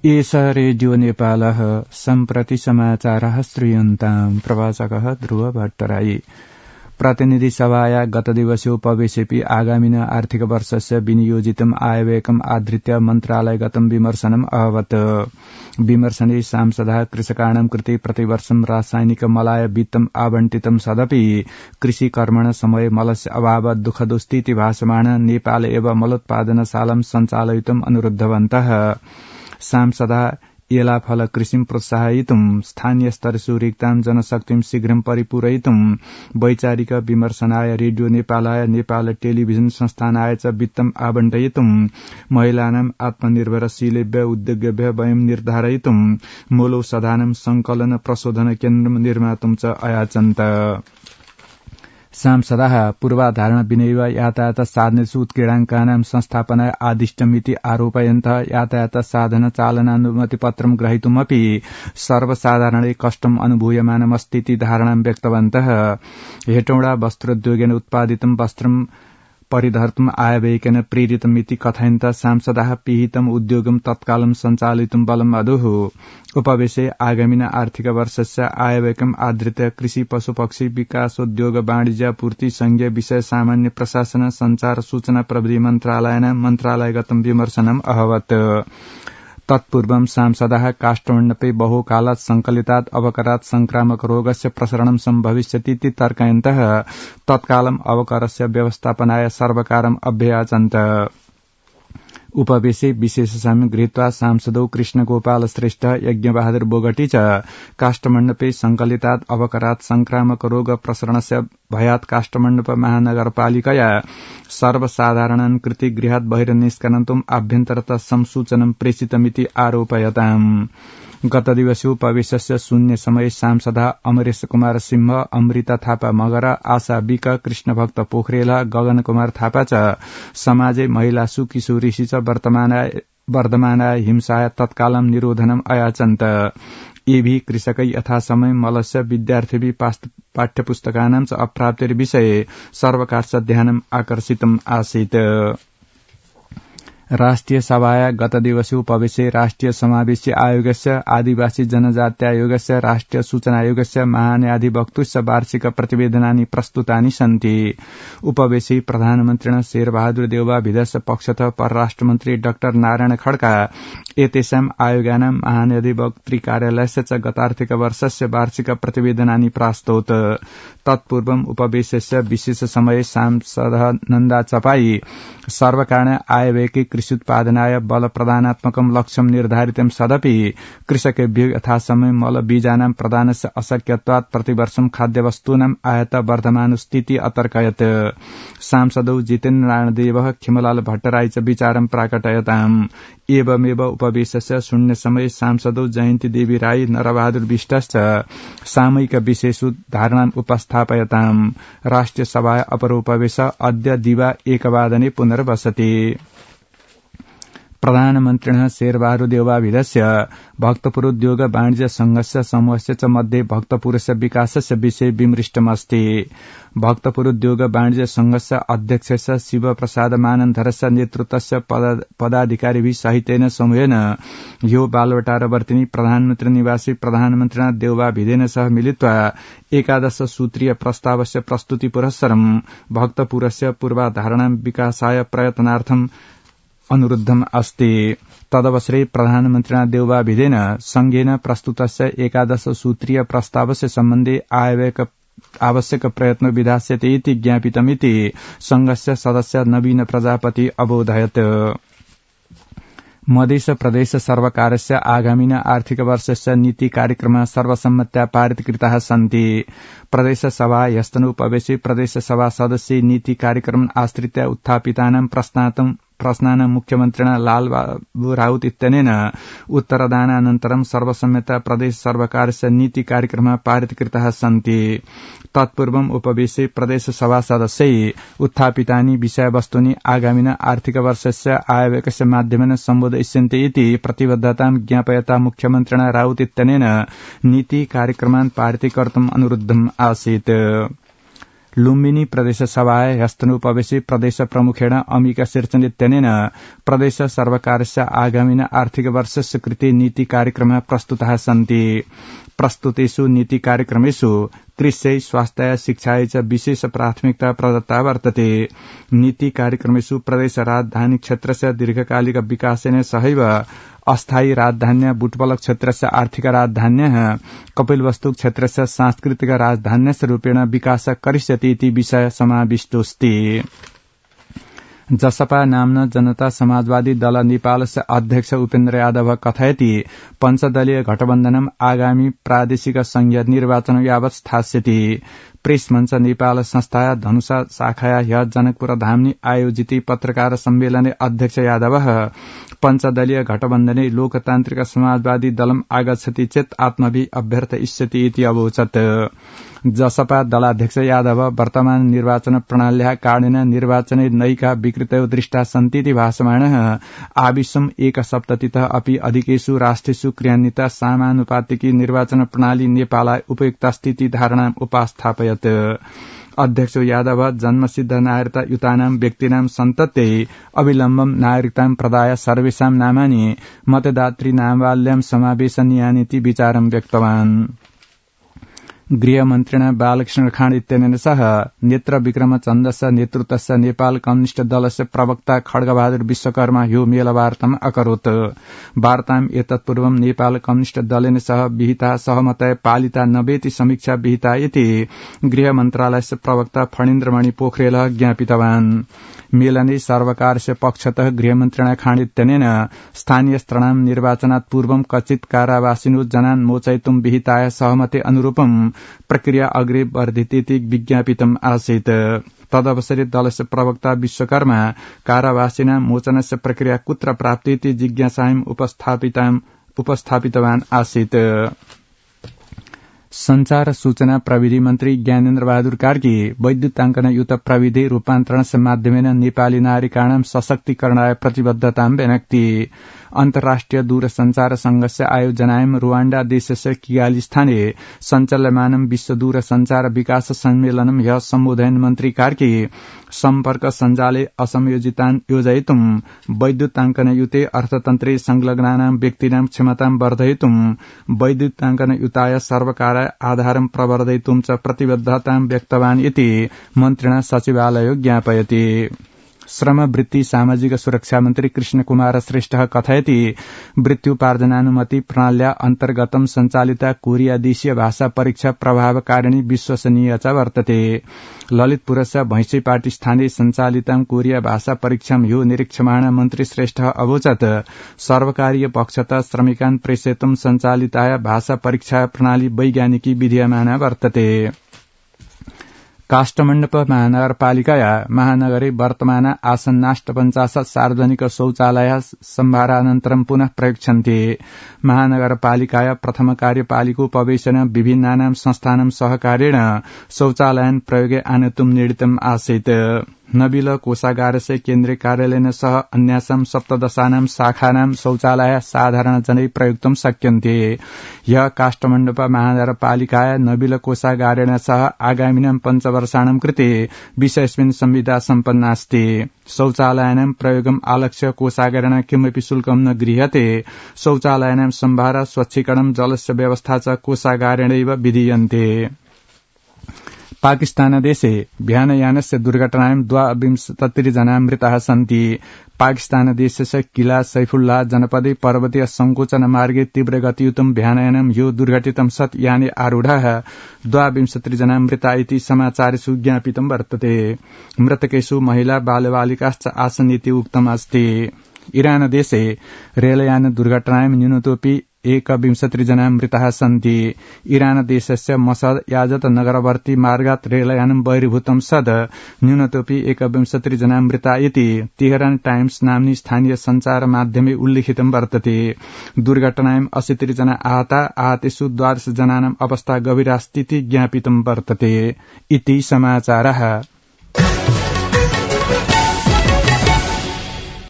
एष रेडियो नेपालः सम्प्रति समाचारः श्रूयन्ताम् प्रवाचकः ध्रुव भट्टराई प्रतिनिधि सभाया गतदिवसोपवेशेऽपि आगामिन आर्थिक वर्षस्य विनियोजितम् आयव्ययकम् आधृत्य मन्त्रालयगतं विमर्शनम् अभवत्। विमर्शने सांसदः कृषकाणां कृते प्रतिवर्षं रासायनिक मलाय वित्तम् आवंटितं सदपि कृषि कर्मण समय मलस्य अभाव दुःखदोस्तीति भासमाण नेपाल एव मलोत्पादनशालां सञ्चालयितुम् अनुरुद्धवन्तः। सांसदः एलाफल कृषिं प्रोत्साहयितुं स्थानीय स्तरेषु रिक्तां जनशक्तिं शीघ्रं परिपूरयितुं वैचारिक विमर्शनाय रेडियो नेपालाय नेपाल टेलिभिजन संस्थानाय च वित्तम् आवंटयितुं महिलानाम् आत्मनिर्भरशीलेभ्य उद्योगेभ्य वयं निर्धारयितुं मूलौषधानां संकलन प्रशोधन केन्द्रं निर्मातुं च अयाचन्त। सांसदः पूर्वाधारण विनैव यातायात साधनेषु उत्क्रीडाङ्कानां संस्थापनाय आदिष्टमिति आरोपयन्तः यातायात साधन चालनानुमतिपत्रं ग्रहीतुमपि सर्वसाधारणे कष्टम् अनुभूयमानमस्तीति धारणां व्यक्तवन्तः। हेटौडा वस्त्रोद्योगेन उत्पादितं वस्त्रं परिधर्तुम् आयव्ययकेन प्रेरितमिति कथयन्तः सांसदः पिहितम् उद्योगं तत्कालं सञ्चालयितुं बलम् अदुः। उपवेशे आगामिन आर्थिक वर्षस्य आयव्ययकम् आधृत्य कृषि पशुपक्षी विकासोद्योग वाणिज्य पूर्ति संघीय विषय सामान्य प्रशासन संचार सूचना प्रविधि मन्त्रालयेन मन्त्रालयगतं विमर्शनम् अभवत्। तत्पूर्वं सांसदः काष्ठमण्डपे बहुकालात् संकलितात् अवकरात् संक्रामक रोगस्य प्रसरणं सम्भविष्यतीति तर्कयन्तः तत्कालम् अवकरस्य व्यवस्थापनाय सर्वकारम् अभ्ययाचन्त। उपवेशे विशेष साम्य गृहीत्वा सांसदौ कृष्णगोपाल श्रेष्ठ यज्ञबहादुर बोगटी च काष्ठमण्डपे संकलितात् अवकरात् संक्रामक रोग प्रसरणस्य भयात् काष्ठमण्डप महानगरपालिकया सर्वसाधारणान् कृते गृहात् बहिर्निष्कर्तुम् आभ्यन्तरतः संसूचनं प्रेषितमिति आरोपयताम्। गतदिवसोपवेशस्य शून्य समये सांसदः अमरेश कुमार सिंह, अमृता थापा मगर, आशा विक, कृष्णभक्त पोखरेल, गगन कुमार थापा च समाजे महिलासु किशोरीसु च वर्धमानाय हिंसाय तत्कालं निरोधनम् अयाचन्त। एभि कृषकै यथासमय मलस्य विद्यार्थिभि पाठ्यपुस्तकानां च अप्राप्तिर्विषये सर्वकारस्य ध्यानम् आकर्षितम् आसीत्। राष्ट्रिय सभाया गतदिवसोपवेशे राष्ट्रिय समावेशी आयोगस्य आदिवासी जनजात्यायोगस्य राष्ट्रिय सूचना आयोगस्य महान्याधिवक्तुस्य वार्षिक प्रतिवेदनानि प्रस्तुतानि सन्ति। उपवेशे प्रधानमन्त्रिणा शेरबहादुर देउवा भिदस्य पक्षतः परराष्ट्रमन्त्री डाक्टर नारायण खड्का एतेषाम् आयोगानां महान्याधिवक्तृकार्यालयस्य च गतार्थिक वर्षस्य वार्षिक प्रतिवेदनानि प्रास्तौत। तत्पूर्वम् उपवेशस्य विशेष समये सांसदः नन्दा चपाई सर्वकारेण आयव्ययके कृष्युत्पादनाय बल प्रदानात्मकं लक्ष्यं निर्धारितं सदपि कृषकेभ्यो यथासमये मलबीजानां प्रदानस्य अशक्यत्वात् प्रतिवर्षं खाद्यवस्तूनाम् आयात वर्धमानस्थिति अतर्कयत्। सांसदौ जितेन्द्र नारायणदेवः खिमलाल भट्टराई च विचारं प्राकटयताम्। एवमेव उपवेशस्य शून्य समये सांसदौ जयन्ती देवी राई, नरबहादुर विष्टश्च सामयिक विषयेषु धारणान् उपस्थापयताम्। राष्ट्रिय सभाया अपरोपवेश अद्य दिवा 1 पुनर्वसति। प्रधानमन्त्रिणः शेरबहादुर देउवाभिदस्य भक्तपुरोद्योग वाणिज्य संघस्य समूहस्य च मध्ये भक्तपुरस्य विकासस्य विषये विमृष्टमस्ति। भक्तपुरोद्योग वाणिज्य संघस्य अध्यक्षस्य शिवप्रसाद मानन्धरस्य नेतृत्वस्य पदाधिकारिभिः सहितेन समूहेन ह्यो बालवटारवर्तिनी प्रधानमन्त्री निवासी प्रधानमन्त्रिणा देउवाभिदेन सह मिलित्वा 11 सूत्रीय प्रस्तावस्य प्रस्तुति पुरस्सरं भक्तपुरस्य पूर्वाधारणां विकासाय प्रयत्नार्थं अनुरुद्धम् अस्ति। तदवसरे प्रधानमन्त्रिणा देउवाभिदेन संघेन प्रस्तुतस्य 11 सूत्रीय प्रस्तावस्य सम्बन्धे आवश्यक प्रयत्न विधास्यते इति ज्ञापितमिति संघस्य सदस्य नवीन प्रजापति अबोधयत्। मध्य प्रदेश सर्वकारस्य आगामिन आर्थिक वर्षस्य नीति कार्यक्रमः सर्वसम्मत्या पारितकृताः सन्ति। प्रदेश सभा ह्यस्तनोपवेशे प्रदेश सभा सदस्य नीति कार्यक्रम आश्रित्य उत्थापितानां प्रश्नानां मुख्यमन्त्रिणा लालबाबू राउत इत्यनेन उत्तरदानानन्तरं सर्वसम्मत्या प्रदेश सर्वकारस्य नीति कार्यक्रमः पारितकृताः सन्ति। तत्पूर्वम् उपवेशे प्रदेश सभा सदस्यै उत्थापितानि विषयवस्तूनि आगामिन आर्थिक वर्षस्य आयव्ययस्य माध्यमेन सम्बोधयिष्यन्ते इति प्रतिबद्धतां ज्ञापयता मुख्यमन्त्रिणा राउत इत्यनेन नीति कार्यक्रमान् पारितीकर्तुम् अनुरुद्धम् आसीत्। लुम्बिनी प्रदेश सभाय ह्यस्तनोपवेशि प्रदेश प्रमुखेण अम्बिका शीर्षनित्यनेन प्रदेश सर्वकारस्य आगामिन आर्थिक वर्षस्य कृते नीति कार्यक्रमः प्रस्तुताः सन्ति। प्रस्तुतेषु नीति कार्यक्रमेषु कृषि स्वास्थ्य शिक्षाय च विशेष प्राथमिकता प्रदत्ता वर्तते। नीति कार्यक्रमेषु प्रदेश राजधानी क्षेत्रस्य दीर्घकालिक विकासेन सहैव अस्थायी राजधान्य बुटवल क्षेत्रस्य आर्थिक राजधान्यः कपिलवस्तु क्षेत्रस्य सांस्कृतिक राजधान्यस्य रूपेण विकास करिष्यति इति विषय समाविष्टोऽस्ति। जसपा नाम्ना जनता समाजवादी दल नेपालस्य अध्यक्ष उपेन्द्र यादव कथयति पञ्चदलीय गठबन्धनम् आगामी प्रादेशिक संघीय निर्वाचन यावत् स्थास्यति। प्रेस मञ्च नेपाल संस्थाया धनुषा शाखाया ह्य जनकपुर धामनि आयोजित पत्रकार सम्मेलने अध्यक्ष यादव पञ्चदलीय गठबन्धने लोकतान्त्रिक समाजवादी दलम् आगच्छति चेत् आत्मभि अभ्यर्थ इष्यति इति अवोचत्। जसपा दलाध्यक्ष यादव वर्तमान निर्वाचन प्रणाल्या कारणेन निर्वाचने नैका विकृतयो दृष्टा सन्तीति भाषमाणः आविश्वम् एक सप्ततितः अपि अधिकेषु राष्ट्रेषु क्रियान्विता समानुपातिकी निर्वाचन प्रणाली नेपालाय उपयुक्तास्तीति धारणाम् उपास्थापयत्। अध्यक्ष यादव जन्मसिद्ध नागरिकता युतानां व्यक्तीनां सन्तत्यै अविलम्बं नागरिकतां प्रदाय सर्वेषां नामानि मतदातृ नामावल्यां समावेशनीयानीति विचारं व्यक्तवान्। गृहमन्त्रिणा बालकृष्ण खाँड इत्यनेन सह नेत्र विक्रम चन्दस्य नेतृत्वस्य नेपाल कम्युनिष्ट दलस्य प्रवक्ता खड्गबहादुर विश्वकर्मा ह्यो मेलवार्ताम् अकरोत्। वार्ताम् एतत्पूर्वं नेपाल कम्युनिष्ट दलेन सह विहिता सहमतय पालिता नवेति समीक्षा विहिता इति गृह मन्त्रालयस्य प्रवक्ता फणीन्द्रमणि पोखरेलः ज्ञापितवान्। मेलने सर्वकारस्य पक्षतः गृहमन्त्रिणा खाँड इत्यनेन स्थानीय स्तराणां निर्वाचनात् पूर्वं कथित कारावासिनो जनान् मोचयितुं विहिताय सहमते अनुरूपं प्रक्रिया अग्रे वर्धितेति विज्ञापितम् आसीत्। तदवसरे दलस्य प्रवक्ता विश्वकर्मा कारावासिनां मोचनस्य प्रक्रिया कुत्र प्राप्तीति जिज्ञासाम् उपस्थापितवान् आसीत्। संचार सूचना प्रविधि मन्त्री ज्ञानेन्द्र बहादुर कार्की वैद्युताङ्कनयुत प्रविधि रूपान्तरणस्य माध्यमेन नेपाली नागरिकाणां सशक्तीकरणाय प्रतिबद्धतां व्यनक्ति। अन्तर्राष्ट्रिय दूरसञ्चार संघस्य आयोजनायां रुवाण्डा देशस्य किगाली स्थाने सञ्चाल्यमानं विश्व दूरसञ्चार विकास सम्मेलनं ह्यः सम्बोधयन् मन्त्री कार्की सम्पर्क सञ्जाले असंयोजितान् योजयितुं वैद्युताङ्कनयुते अर्थतन्त्रे संलग्नानां व्यक्तीनां क्षमतां वर्धयितुं वैद्युताङ्कनयुताय सर्वकाराय आधारं प्रवर्धयितुं च प्रतिबद्धतां व्यक्तवान् इति मन्त्रिणा सचिवालयो ज्ञापयति। श्रम वृत्ति सामाजिक सुरक्षा मन्त्री कृष्ण कुमार श्रेष्ठः कथयति वृत्त्युपार्जनानुमति प्रणाल्या अन्तर्गतं सञ्चालिता कोरिया देशीय भाषा परीक्षा प्रभावकारिणी विश्वसनीय च वर्तते। ललितपुरस्य भैंसीपाटी स्थाने सञ्चालितां कोरिया भाषा परीक्षां ह्यो निरीक्षमाण मन्त्री श्रेष्ठः अवोचत् सर्वकारीय पक्षतः श्रमिकान् प्रेषयितुं सञ्चालिताया भाषा परीक्षा प्रणाली वैज्ञानिकी विधीयमाना वर्तते। काष्ठमण्डप महानगरपालिकाया महानगरे वर्तमान आसन्नाष्टपञ्चाशत् सार्वजनिक शौचालयाः सम्भारानन्तरं पुनः प्रयुज्यन्ते। महानगरपालिकाया प्रथम कार्यपालिकोपवेशन विभिन्नानां संस्थानां सहकारेण शौचालयान् प्रयोगे आनेतुं निर्णीतम् आसीत्। नबिल कोषागारस्य केन्द्रीय कार्यालयेन सह अन्यासां सप्तदशानां शाखानां शौचालय साधारण जनै प्रयुक्तुं शक्यन्ते। ह्यः काष्ठमण्डप महानगरपालिकाया नबिल कोषागारेण सह आगामिनां पञ्चवर्षाणां कृते विषयस्मिन् संविदा सम्पन्नास्ति। शौचालयानां प्रयोगम् आलक्ष्य कोषागारेण किमपि शुल्कं न गृह्यते। शौचालयानां सम्भार स्वच्छीकरणं जलस्य व्यवस्था च कोषागारेणैव विधीयन्ते। पाकिस्तानदेशे भ्यानयानस्य दुर्घटनायां 22 जना मृताः सन्ति। पाकिस्तानदेशस्य किला सैफुल्लाह जनपदे पर्वतीय संकोचन मार्गे तीव्र गतियुतं भ्यानयानं ह्यो दुर्घटितं सत् याने आरूढाः 22 जना मृता इति समाचारेषु ज्ञापितं वर्तते। मृतकेषु महिला बालबालिकाश्च आसन् इति उक्तमस्ति। इरानदेशे रेलयान दुर्घटनायां न्यूनतोऽपि 21 जना मृताः सन्ति। इरानदेशस्य मसद याजत नगरवर्ती मार्गात् रेलयानं बहिर्भूतं सद् न्यूनतोऽपि 21 जना मृता इति तेहरान टाइम्स नाम्नि स्थानीय सञ्चार माध्यमे उल्लिखितं वर्तते। दुर्घटनायां 80 जना आहतेषु 12 जनानाम् अवस्था गभीरास्तीति ज्ञापितं वर्तते। इति समाचारः।